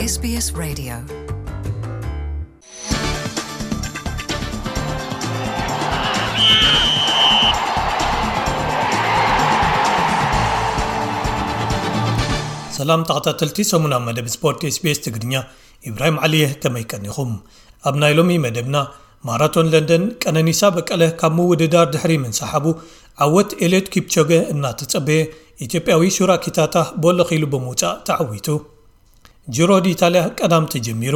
SBS Radio. ሰላም ተኸታተልቲ ሰሙናዊ መደብ ስፖርት SBS ትግርኛ፣ ኢብራሂም ዓሊ እየ። ከመይ ቀኒኹም? ኣብ ናይ ሎሚ መደብና፣ ማራቶን ለንደን ቀነኒሳ በቀለ ካብ ምውድዳር ድሕሪ ምንሳሓቡ፣ ዓወት ኤልዮት ኪፕቾገ እናተጸበየ፣ ኢትዮጵያዊ ሹራ ኪታታ ቦለኽ ኢሉ ብምውጻእ ተዓዊቱ። ጂሮ ዲኢታልያ ቀዳም ተጀሚሩ፣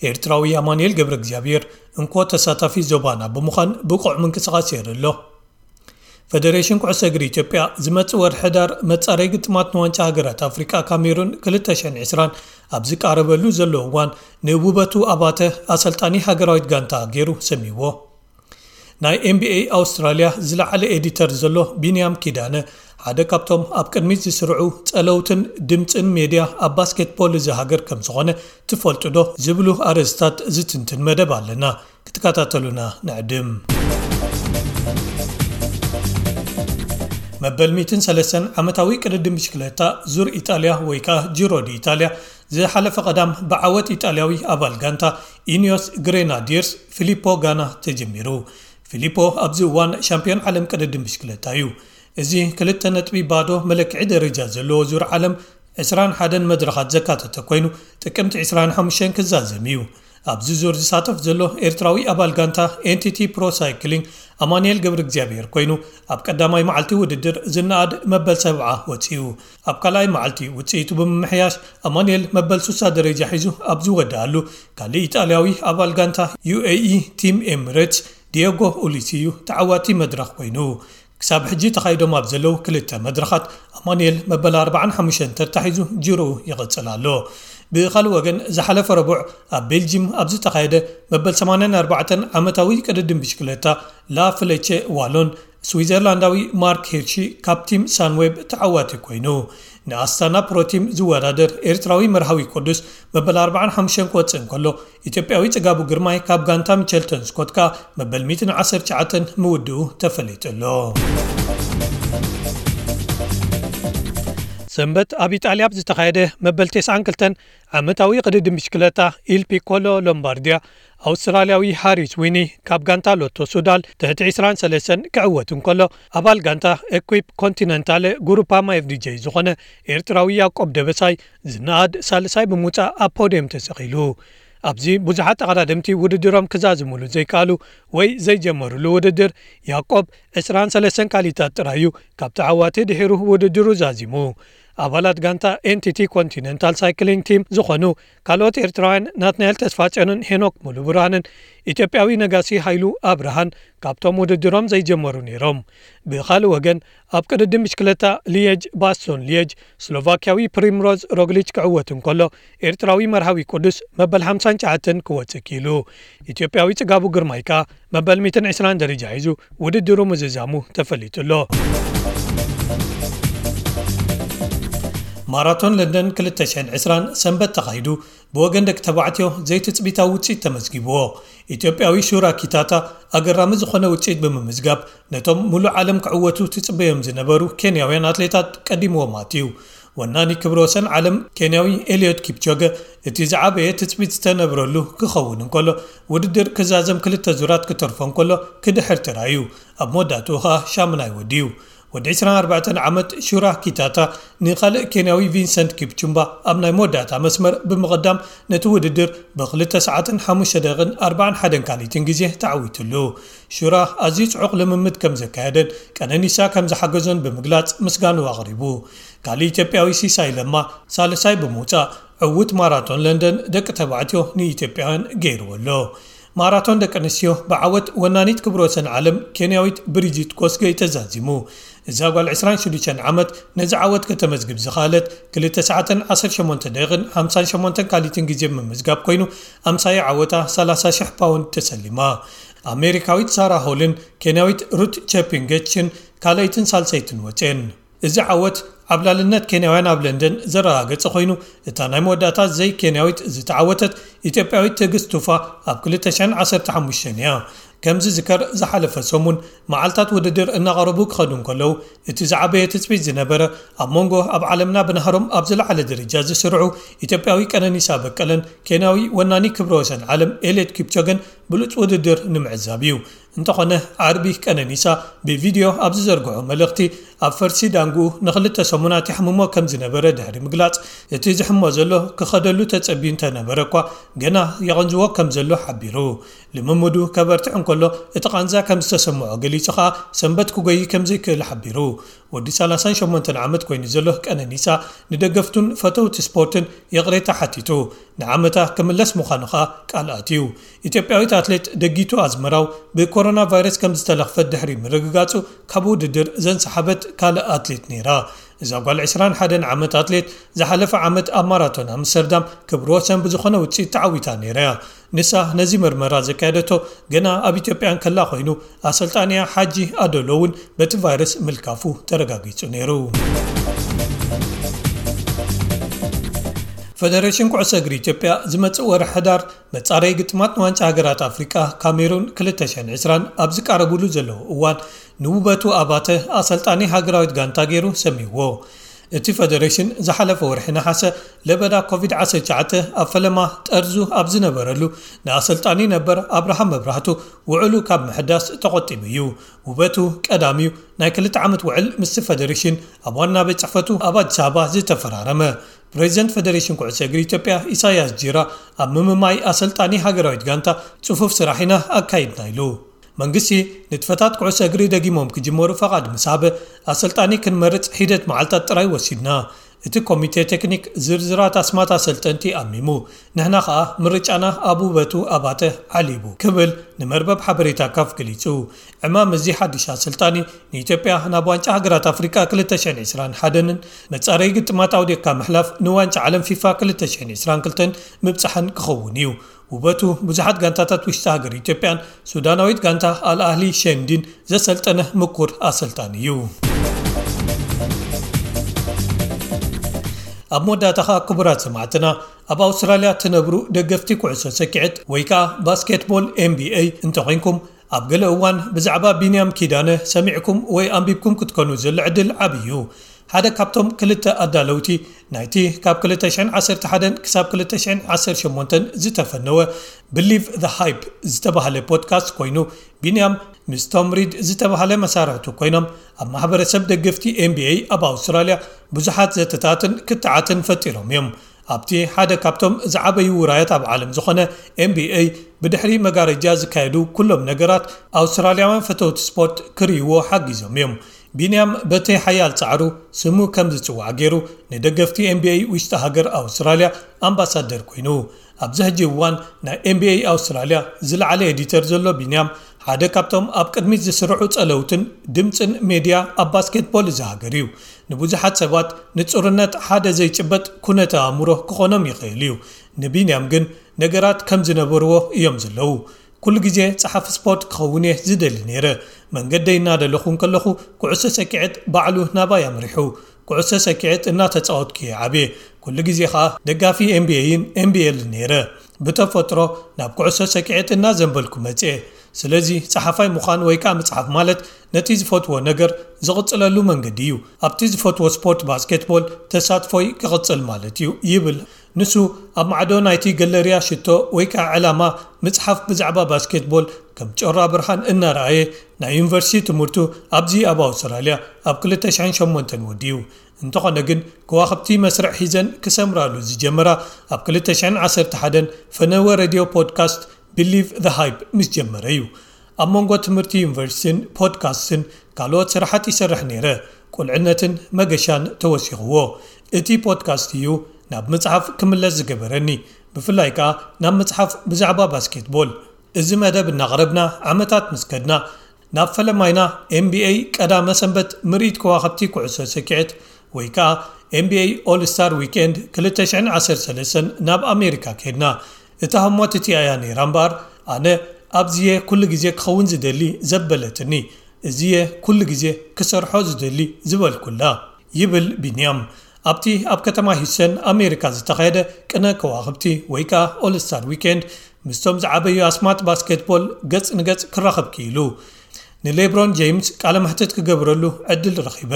ኤርትራዊ ኣማኑኤል ገብረ እግዚኣብሔር እንኮ ተሳታፊ ዞባና ብምዃን ብቑዕ ምንቅስቓስ የርኢ ኣሎ። ፈደሬሽን ኩዕሶ እግሪ ኢትዮጵያ ዝመጽእ ወርሒ ሕዳር መጻረይ ግጥማት ንዋንጫ ሃገራት ኣፍሪቃ ካሜሩን ክልተ ሽሕን ዕስራን ኣብ ዝቃረበሉ ዘሎ እዋን፣ ንውበቱ ኣባተ ኣሰልጣኒ ሃገራዊት ጋንታ ገይሩ ሰሚዎ። ናይ ኤንቢኤ ኣውስትራልያ ዝለዓለ ኤዲተር ዘሎ ቢንያም ኪዳነ፣ ሓደ ካብቶም ኣብ ቅድሚት ዝስርዑ ጸለውትን ድምጽን ሜድያ ኣብ ባስኬትቦል እዚ ሃገር ከም ዝኾነ ትፈልጡ ዶ ዝብሉ ኣርእስታት ዝትንትን መደብ ኣለና። ክትከታተሉና ንዕድም። መበል ሚእትን ሰለስተን ዓመታዊ ቅድድም ብሽክለታ ዙር ኢጣልያ ወይ ከኣ ጂሮ ዲ ኢጣልያ ዝሓለፈ ቀዳም ብዓወት ኢጣልያዊ ኣባል ጋንታ ኢኒዮስ ግሬናዲርስ ፊሊፖ ጋና ተጀሚሩ። ፊሊፖ ኣብዚ እዋን ሻምፒዮን ዓለም ቅድድም ብሽክለታ እዩ። እዚ ክልተ ነጥቢ ባዶ መለክዒ ደረጃ ዘለዎ ዙር ዓለም ዕስራን ሓደን መድረኻት ዘካተተ ኮይኑ፣ ጥቅምቲ ዕስራን ሓሙሽተን ክዛዘም እዩ። ኣብዚ ዙር ዝሳተፍ ዘሎ ኤርትራዊ ኣባል ጋንታ ኤንቲቲ ፕሮ ሳይክሊንግ ኣማኑኤል ገብረ እግዚኣብሔር ኮይኑ፣ ኣብ ቀዳማይ መዓልቲ ውድድር ዝነኣድ መበል ሰብዓ ወጺኡ። ኣብ ካልኣይ መዓልቲ ውጽኢቱ ብምምሕያሽ፣ ኣማኑኤል መበል ሱሳ ደረጃ ሒዙ ኣብ ዝወድኣሉ፣ ካልእ ኢጣልያዊ ኣባል ጋንታ ዩኤኢ ቲም ኤምሬትስ ዲየጎ ኡሊሲ እዩ ተዓዋቲ መድረኽ ኮይኑ። ክሳብ ሕጂ ተኻይዶም ኣብ ዘለዉ ክልተ መድረኻት ኣማኑኤል መበል ኣርባዓን ሓሙሽተን ተታሒዙ ጅርኡ ይቕጽል ኣሎ። ብኻልእ ወገን ዝሓለፈ ረቡዕ ኣብ ቤልጂም ኣብ ዝተኻየደ መበል ሰማንያን ኣርባዕተን ዓመታዊ ቅድድም ብሽክለታ ላ ፍለቼ ዋሎን ስዊዘርላንዳዊ ማርክ ሂርሺ ካብ ቲም ሳንዌብ ተዓዋቲ ኮይኑ። ንኣስታና ፕሮቲም ዝወዳደር ኤርትራዊ መርሃዊ ቅዱስ መበል ኣርባዓን ሓሙሽተን ክወጽእ እንከሎ፣ ኢትዮጵያዊ ጽጋቡ ግርማይ ካብ ጋንታ ሚቸልተን ስኮት ከኣ መበል ሚእትን ዓሰርተ ትሽዓተን ምውድኡ ተፈሊጡ ኣሎ። ሰንበት ኣብ ኢጣልያ ኣብ ዝተኻየደ መበል ተስዓን ክልተን ዓመታዊ ቅድድም ብሽክለታ ኢል ፒኮሎ ሎምባርዲያ፣ ኣውስትራልያዊ ሃሪስ ዊኒ ካብ ጋንታ ሎቶ ሱዳል ትሕቲ ዕስራን ሰለስተን ክዕወት እንከሎ፣ ኣባል ጋንታ ኤኩፕ ኮንቲነንታለ ጉሩፓማ ኤፍዲጄ ዝኾነ ኤርትራዊ ያዕቆብ ደበሳይ ዝነኣድ ሳልሳይ ብምውጻእ ኣብ ፖድየም ተሰቒሉ። ኣብዚ ብዙሓት ተቐዳደምቲ ውድድሮም ክዛዝሙሉ ዘይከኣሉ ወይ ዘይጀመሩሉ ውድድር፣ ያዕቆብ ዕስራን ሰለስተን ካልኢታት ጥራይ እዩ ካብ ተዓዋቲ ድሒሩ ውድድሩ ዛዚሙ። ኣባላት ጋንታ ኤንቲቲ ኮንቲነንታል ሳይክሊንግ ቲም ዝኾኑ ካልኦት ኤርትራውያን ናትናኤል ተስፋጽዮንን ሄኖክ ሙሉብርሃንን፣ ኢትዮጵያዊ ነጋሲ ሃይሉ ኣብርሃን ካብቶም ውድድሮም ዘይጀመሩ ነይሮም። ብኻልእ ወገን፣ ኣብ ቅድድም ብሽክለታ ሊየጅ ባስቶን ሊየጅ፣ ስሎቫክያዊ ፕሪምሮዝ ሮግሊች ክዕወት እንከሎ፣ ኤርትራዊ መርሃዊ ቅዱስ መበል ሓምሳን ትሽዓተን ክወጽእ ክኢሉ። ኢትዮጵያዊ ጽጋቡ ግርማይ ከኣ መበል ሚእትን ዕስራን ደረጃ ሒዙ ውድድሩ ምዝዛሙ ተፈሊጡ ኣሎ። ማራቶን ለንደን ክልተ ሽሕን ዕስራን ሰንበት ተኻይዱ፣ ብወገን ደቂ ተባዕትዮ ዘይትጽቢታዊ ውጽኢት ተመዝጊብዎ። ኢትዮጵያዊ ሹራ ኪታታ ኣገራሚ ዝኾነ ውጽኢት ብምምዝጋብ፣ ነቶም ሙሉእ ዓለም ክዕወቱ ትጽበዮም ዝነበሩ ኬንያውያን ኣትሌታት ቀዲምዎም ኣትዩ። ወናኒ ክብረ ወሰን ዓለም ኬንያዊ ኤልዮት ኪፕቾገ፣ እቲ ዝዓበየ ትጽቢት ዝተነብረሉ ክኸውን እንከሎ፣ ውድድር ክዛዘም ክልተ ዙራት ክተርፎ እንከሎ ክድሕር ተራእዩ። ኣብ መወዳእትኡ ኸኣ ሻምናይ ወዲዩ። ወዲ ዕስራን ኣርባዕተን ዓመት ሹራ ኪታታ ንኻልእ ኬንያዊ ቪንሰንት ኪፕቹምባ ኣብ ናይ መወዳእታ መስመር ብምቕዳም፣ ነቲ ውድድር ብክልተ ሰዓትን ሓሙሽተ ደቂቕን ኣርባዓን ሓደን ካልኢትን ግዜ ተዓዊቱሉ። ሹራ ኣዝዩ ጽዑቕ ልምምድ ከም ዘካየደን ቀነኒሳ ከም ዝሓገዞን ብምግላጽ ምስጋንኡ ኣቕሪቡ። ካልእ ኢትዮጵያዊ ሲሳይ ለማ ሳልሳይ ብምውጻእ፣ ዕዉት ማራቶን ለንደን ደቂ ተባዕትዮ ንኢትዮጵያውያን ገይርዎ ኣሎ። ማራቶን ደቂ ኣንስትዮ ብዓወት ወናኒት ክብረ ወሰን ዓለም ኬንያዊት ብሪጂት ኮስገይ ተዛዚሙ። እዛ ጓል ዕስራን ሽዱሽተን ዓመት ነዚ ዓወት ከተመዝግብ ዝኸኣለት ክልተ ሰዓትን ዓሰርተ ሸሞንተ ደቂቕን ሓምሳን ሸሞንተን ካልኢትን ግዜ ብምምዝጋብ ኮይኑ፣ ኣምሳያ ዓወታ ሰላሳ ሽሕ ፓውንድ ተሰሊማ። ኣሜሪካዊት ሳራ ሆልን ኬንያዊት ሩት ቸፒንገችን ካልኣይትን ሳልሰይትን ወፅየን። እዚ ዓወት ዓብላልነት ኬንያውያን ኣብ ለንደን ዘረጋገጸ ኮይኑ፣ እታ ናይ መወዳእታ ዘይኬንያዊት ዝተዓወተት ኢትዮጵያዊት ትዕግስት ቱፋ ኣብ ክልተ ሽሕን ዓሰርተ ሓሙሽተን እያ። ከም ዝዝከር፣ ዝሓለፈ ሰሙን መዓልታት ውድድር እናቐረቡ ክኸዱ እንከለዉ፣ እቲ ዝዓበየ ትጽቢት ዝነበረ፣ ኣብ መንጎ ኣብ ዓለምና ብናህሮም ኣብ ዝለዓለ ደረጃ ዝስርዑ ኢትዮጵያዊ ቀነኒሳ በቀለን ኬንያዊ ወናኒ ክብረ ወሰን ዓለም ኤልዮድ ኪፕቾገን ብሉጽ ውድድር ንምዕዛብ እዩ። እንተኾነ፣ ዓርቢ ቀነኒሳ ብቪድዮ ኣብ ዝዘርግሖ መልእኽቲ፣ ኣብ ፈርሲ ዳንግኡ ንኽልተ ሰሙናት ይሕምሞ ከም ዝነበረ ድሕሪ ምግላጽ፣ እቲ ዝሕሞ ዘሎ ክኸደሉ ተጸብዩ እንተነበረ እኳ፣ ገና የቐንዝዎ ከም ዘሎ ሓቢሩ። ልምምዱ ከበርትዕ እንከሎ፣ እቲ ቃንዛ ከም ዝተሰምዖ ገሊጹ ኸኣ፣ ሰንበት ክጎዪ ከም ዘይክእል ሓቢሩ። ወዲ ሰላሳን ሸሞንተን ዓመት ኮይኑ ዘሎ ቀነኒሳ፣ ንደገፍቱን ፈተውቲ ስፖርትን ይቕሬታ ሓቲቱ። ንዓመታ ክምለስ ምዃኑ ኸኣ ቃል ኣትዩ። ኢትዮጵያዊት ኣትሌት ደጊቱ ኣዝመራው ብኮሮና ቫይረስ ከም ዝተለኽፈት ድሕሪ ምርግጋጹ፣ ካብ ውድድር ዘንሰሓበት ካልእ ኣትሌት ነይራ። እዛ ጓል ዕስራን ሓደን ዓመት ኣትሌት፣ ዝሓለፈ ዓመት ኣብ ማራቶን ኣምስተርዳም ክብረ ወሰን ብዝኾነ ውጽኢት ተዓዊታ ነይራ እያ። ንሳ ነዚ መርመራ ዘካየደቶ ገና ኣብ ኢትዮጵያ እንከላ ኮይኑ፣ ኣሰልጣኒያ ሓጂ ኣዶሎ እውን በቲ ቫይረስ ምልካፉ ተረጋጊጹ ነይሩ። ፈደሬሽን ኩዕሶ እግሪ ኢትዮጵያ ዝመጽእ ወርሒ ሕዳር መጻረዪ ግጥማት ንዋንጫ ሃገራት ኣፍሪቃ ካሜሩን ክልተ ሽሕን ዕስራን ኣብ ዝቃረቡሉ ዘለዉ እዋን፣ ንውበቱ ኣባተ ኣሰልጣኒ ሃገራዊት ጋንታ ገይሩ ሰሚዎ። እቲ ፈደሬሽን ዝሓለፈ ወርሒ ነሓሰ ለበዳ ኮቪድ ዓሰርተ ትሽዓተ ኣብ ፈለማ ጠርዙ ኣብ ዝነበረሉ፣ ንኣሰልጣኒ ነበር ኣብርሃም መብራህቱ ውዕሉ ካብ ምሕዳስ ተቖጢቡ እዩ። ውበቱ ቀዳሚዩ ናይ ክልተ ዓመት ውዕል ምስቲ ፈደሬሽን ኣብ ዋና ቤት ጽሕፈቱ ኣብ ኣዲስ ኣበባ ዝተፈራረመ። ፕሬዚደንት ፈደሬሽን ኩዕሶ እግሪ ኢትዮጵያ ኢሳያስ ጂራ፣ ኣብ ምምማይ ኣሰልጣኒ ሃገራዊት ጋንታ ጽፉፍ ስራሕ ኢና ኣካይድና ኢሉ። መንግስቲ ንጥፈታት ኩዕሶ እግሪ ደጊሞም ክጅመሩ ፈቓድ ምስ ሃበ፣ ኣሰልጣኒ ክንመርጽ ሒደት መዓልታት ጥራይ ወሲድና። እቲ ኮሚቴ ቴክኒክ ዝርዝራት ኣስማት ኣሰልጠንቲ ኣሚሙ። ንሕና ኸኣ ምርጫና ኣብ ውበቱ ኣባተ ዓሊቡ ክብል ንመርበብ ሓበሬታ ካፍ ገሊጹ። ዕማም እዚ ሓድሽ ኣሰልጣኒ ንኢትዮጵያ ናብ ዋንጫ ሃገራት ኣፍሪቃ ክልተ ሽሕን ዕስራን ሓደን መጻረዪ ግጥማት ኣውዲቕካ ምሕላፍ ንዋንጫ ዓለም ፊፋ ክልተ ሽሕን ዕስራን ክልተን ምብጻሕን ክኸውን እዩ። ውበቱ ብዙሓት ጋንታታት ውሽጢ ሃገር ኢትዮጵያን ሱዳናዊት ጋንታ ኣልኣህሊ ሸንዲን ዘሰልጠነ ምኩር ኣሰልጣኒ እዩ። ኣብ መወዳእታ ኸኣ ክቡራት ሰማዕትና፣ ኣብ ኣውስትራልያ ትነብሩ ደገፍቲ ኩዕሶ ሰኪዐት ወይ ከኣ ባስኬትቦል ኤን ቢ ኤ እንተኾይንኩም፣ ኣብ ገለ እዋን ብዛዕባ ቢንያም ኪዳነ ሰሚዕኩም ወይ ኣንቢብኩም ክትኮኑ ዘሎ ዕድል ዓቢ እዩ። ሓደ ካብቶም ክልተ ኣዳለውቲ ናይቲ ካብ ክልተ ሽሕን ዓሰርተ ሓደን ክሳብ ክልተ ሽሕን ዓሰርተ ሸሞንተን ዝተፈነወ ብሊቭ ዘ ሃይፕ ዝተባህለ ፖድካስት ኮይኑ፣ ቢንያም ምስ ቶም ሪድ ዝተባህለ መሳርሕቱ ኮይኖም ኣብ ማሕበረሰብ ደገፍቲ ኤን ቢ ኤ ኣብ ኣውስትራልያ ብዙሓት ዘተታትን ክትዓትን ፈጢሮም እዮም። ኣብቲ ሓደ ካብቶም ዝዓበዩ ውራያት ኣብ ዓለም ዝኾነ ኤን ቢ ኤ ብድሕሪ መጋረጃ ዝካየዱ ኩሎም ነገራት ኣውስትራልያውያን ፈተውቲ ስፖርት ክርእይዎ ሓጊዞም እዮም። ቢንያም በቲ ሓያል ጻዕሩ ስሙ ከም ዝጽዋዕ ገይሩ ንደገፍቲ ኤን ቢ ኤ ውሽጢ ሃገር ኣውስትራልያ ኣምባሳደር ኮይኑ። ኣብዚ ሕጂ እዋን ናይ ኤን ቢ ኤ ኣውስትራልያ ዝለዓለ ኤዲተር ዘሎ ቢንያም ሓደ ካብቶም ኣብ ቅድሚት ዝስርዑ ጸለውትን ድምጽን ሜድያ ኣብ ባስኬትቦል እዚ ሃገር እዩ። ንብዙሓት ሰባት ንጹርነት ሓደ ዘይጭበጥ ኩነተ ኣእምሮ ክኾኖም ይኽእል እዩ። ንቢንያም ግን ነገራት ከም ዝነበርዎ እዮም ዘለዉ። ኩሉ ግዜ ጸሓፊ ስፖርት ክኸውን እየ ዝደሊ ነይረ። መንገደይ እናደለኹ እንከለኹ ኩዕሶ ሰኪዐት ባዕሉ ናባይ ኣምሪሑ። ኩዕሶ ሰኪዐት እናተጻወትኩ እየ ዓብየ። ኩሉ ግዜ ኸኣ ደጋፊ ኤን ቢ ኤ ን ኤን ቢ ኤል ነይረ። ብተፈጥሮ ናብ ኩዕሶ ሰኪዐት እናዘንበልኩ መጽየ። ስለዚ ጸሓፋይ ምዃን ወይ ከኣ ምጽሓፍ ማለት ነቲ ዝፈትዎ ነገር ዝቕጽለሉ መንገዲ እዩ። ኣብቲ ዝፈትዎ ስፖርት ባስኬትቦል ተሳትፎይ ክቕጽል ማለት እዩ ይብል። ንሱ ኣብ ማዕዶ ናይቲ ገለርያ ሽቶ ወይ ከኣ ዕላማ ምጽሓፍ ብዛዕባ ባስኬትቦል ከም ጮራ ብርሃን እናረኣየ ናይ ዩኒቨርሲቲ ትምህርቱ ኣብዚ ኣብ ኣውስትራልያ ኣብ ክልተ ሽሕን ሸሞንተን ወዲኡ። እንተኾነ ግን ከዋኽብቲ መስርዕ ሒዘን ክሰምራሉ ዝጀመራ ኣብ ክልተ ሽሕን ዓሰርተ ሓደን ፈነወ ሬድዮ ፖድካስት ብሊቭ ዘ ሃይፕ ምስ ጀመረ እዩ። ኣብ መንጎ ትምህርቲ ዩኒቨርሲቲን ፖድካስትን ካልኦት ስራሓት ይሰርሕ ነይረ። ቁልዕነትን መገሻን ተወሲኽዎ። እቲ ፖድካስት እዩ ናብ መጽሓፍ ክምለስ ዝገበረኒ፣ ብፍላይ ከኣ ናብ መጽሓፍ ብዛዕባ ባስኬትቦል። እዚ መደብ እናቕረብና ዓመታት ምስ ከድና፣ ናብ ፈለማይና ኤን ቢ ኤ ቀዳመ ሰንበት ምርኢት ከዋኽብቲ ኩዕሶ ሰኪዐት ወይ ከኣ ኤን ቢ ኤ ኦል ስታር ዊኬንድ ክልተ ሽሕን ዓሰርተ ሰለስተን ናብ ኣሜሪካ ከድና። እታ ህሞት እቲኣ እያ ነይራ እምበኣር፣ ኣነ ኣብዚየ ኩሉ ግዜ ክኸውን ዝደሊ ዘበለትኒ፣ እዚየ ኩሉ ግዜ ክሰርሖ ዝደሊ ዝበልኩላ፣ ይብል ቢንያም። ኣብቲ ኣብ ከተማ ሂውስተን ኣሜሪካ ዝተኻየደ ቅነ ከዋኽብቲ ወይ ከኣ ኦል ስታር ዊኬንድ ምስቶም ዝዓበዩ ኣስማት ባስኬትቦል ገጽ ንገጽ ክራኸብ ክኢሉ። ንሌብሮን ጄምስ ቃለ መሕትት ክገብረሉ ዕድል ረኺበ።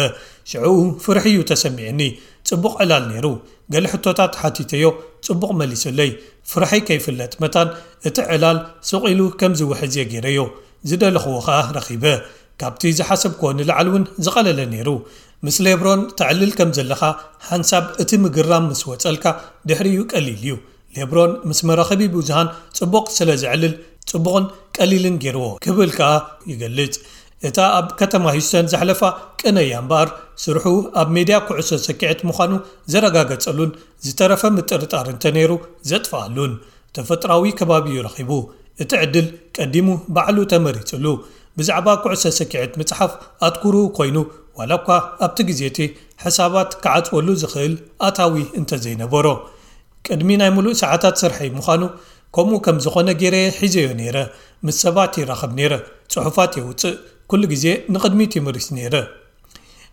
ሽዕኡ ፍርሒ እዩ ተሰሚዕኒ። ጽቡቕ ዕላል ነይሩ። ገለ ሕቶታት ሓቲተዮ፣ ጽቡቕ መሊሱለይ። ፍርሐይ ከይፍለጥ መታን እቲ ዕላል ስቕ ኢሉ ከም ዝውሕዝ እየ ገይረዮ። ዝደለኽዎ ኸኣ ረኺበ። ካብቲ ዝሓሰብክዎ ንላዕሊ እውን ዝቐለለ ነይሩ። ምስ ሌብሮን ተዕልል ከም ዘለኻ ሓንሳብ እቲ ምግራም ምስ ወጸልካ ድሕሪኡ ቀሊል እዩ። ሌብሮን ምስ መራኸቢ ብዙሃን ጽቡቕ ስለ ዘዕልል ጽቡቕን ቀሊልን ገይርዎ ክብል ከኣ ይገልጽ። እታ ኣብ ከተማ ሂውስተን ዘሕለፋ ቅነያ እምበኣር ስርሑ ኣብ ሜድያ ኩዕሶ ሰኪዐት ምዃኑ ዘረጋገጸሉን ዝተረፈ ምጥርጣር እንተነይሩ ዘጥፍኣሉን ተፈጥራዊ ከባቢ እዩ ረኺቡ። እቲ ዕድል ቀዲሙ ባዕሉ ተመሪጽሉ። ብዛዕባ ኩዕሶ ሰኪዐት ምጽሓፍ ኣትኩሩ ኮይኑ ዋላ እኳ ኣብቲ ግዜ እቲ ሕሳባት ክዓጽወሉ ዝኽእል ኣታዊ እንተዘይነበሮ። ቅድሚ ናይ ሙሉእ ሰዓታት ስርሐይ ምዃኑ ከምኡ ከም ዝኾነ ገይረ ሒዘዮ ነይረ። ምስ ሰባት ይራኸብ ነይረ። ጽሑፋት የውጽእ። ኩሉ ግዜ ንቕድሚት ይምርሽ ነይረ።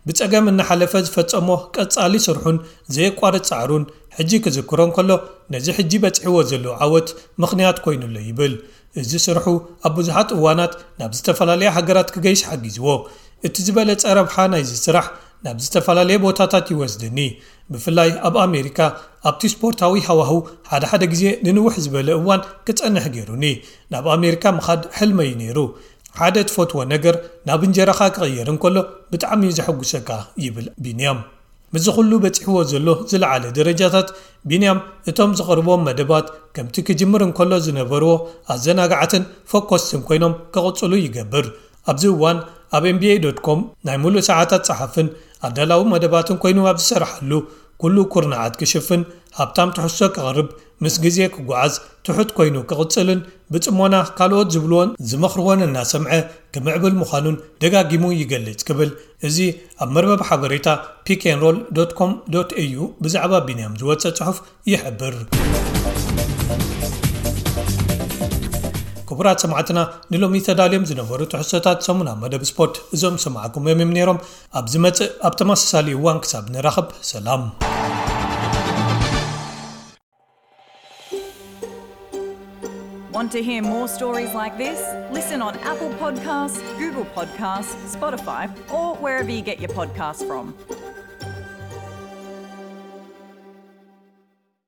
ብጸገም እናሓለፈ ዝፈጸሞ ቀጻሊ ስርሑን ዘየቋርጽ ጻዕሩን ሕጂ ክዝክሮ እንከሎ ነዚ ሕጂ በጺሕዎ ዘሎ ዓወት ምኽንያት ኮይኑሎ ይብል። እዚ ስርሑ ኣብ ብዙሓት እዋናት ናብ ዝተፈላለያ ሃገራት ክገይሽ ሓጊዝዎ። እቲ ዝበለጸ ረብሓ ናይዚ ስራሕ ናብ ዝተፈላለየ ቦታታት ይወስድኒ። ብፍላይ ኣብ ኣሜሪካ ኣብቲ ስፖርታዊ ሃዋህው ሓደ ሓደ ግዜ ንንውሕ ዝበለ እዋን ክጸንሕ ገይሩኒ። ናብ ኣሜሪካ ምኻድ ሕልመይ ነይሩ። ሓደ ትፈትዎ ነገር ናብ እንጀራኻ ክቕየር እንከሎ ብጣዕሚ እዩ ዘሐጉሰካ ይብል ቢንያም። ምስዚ ኩሉ በጺሕዎ ዘሎ ዝለዓለ ደረጃታት ቢንያም እቶም ዝቐርቦም መደባት ከምቲ ክጅምር እንከሎ ዝነበርዎ ኣዘናጋዕትን ፈኮስትን ኮይኖም ክቕጽሉ ይገብር። ኣብዚ እዋን ኣብ ኤንቢኤ ዶት ኮም ናይ ሙሉእ ሰዓታት ጸሓፍን ኣዳላዊ መደባትን ኮይኑ ኣብ ዝሰርሓሉ ኩሉ ኩርናዓት ክሽፍን ሃብታም ትሕዝቶ ክቕርብ ምስ ግዜ ክጓዓዝ ትሑት ኮይኑ ክቕጽልን ብጽሞና ካልኦት ዝብልዎን ዝመኽርዎን እናሰምዐ ክምዕብል ምዃኑን ደጋጊሙ ይገልጽ ክብል እዚ ኣብ መርበብ ሓበሬታ ፒክ ኤን ሮል ዶት ኮም ዶት ኤዩ ብዛዕባ ቢንያም ዝወጸ ጽሑፍ ይሕብር። ክቡራት ሰማዕትና ንሎሚ ተዳልዮም ዝነበሩ ትሕዝቶታት ሰሙና መደብ ስፖርት እዞም ሰማዕኩም እዮም ነይሮም። ኣብ ዝመጽእ ኣብ ተመሳሳሊ እዋን ክሳብ ንራኸብ ሰላም። Want to hear more stories like this? Listen on Apple Podcasts, Google Podcasts, Spotify, or wherever you get your podcasts from.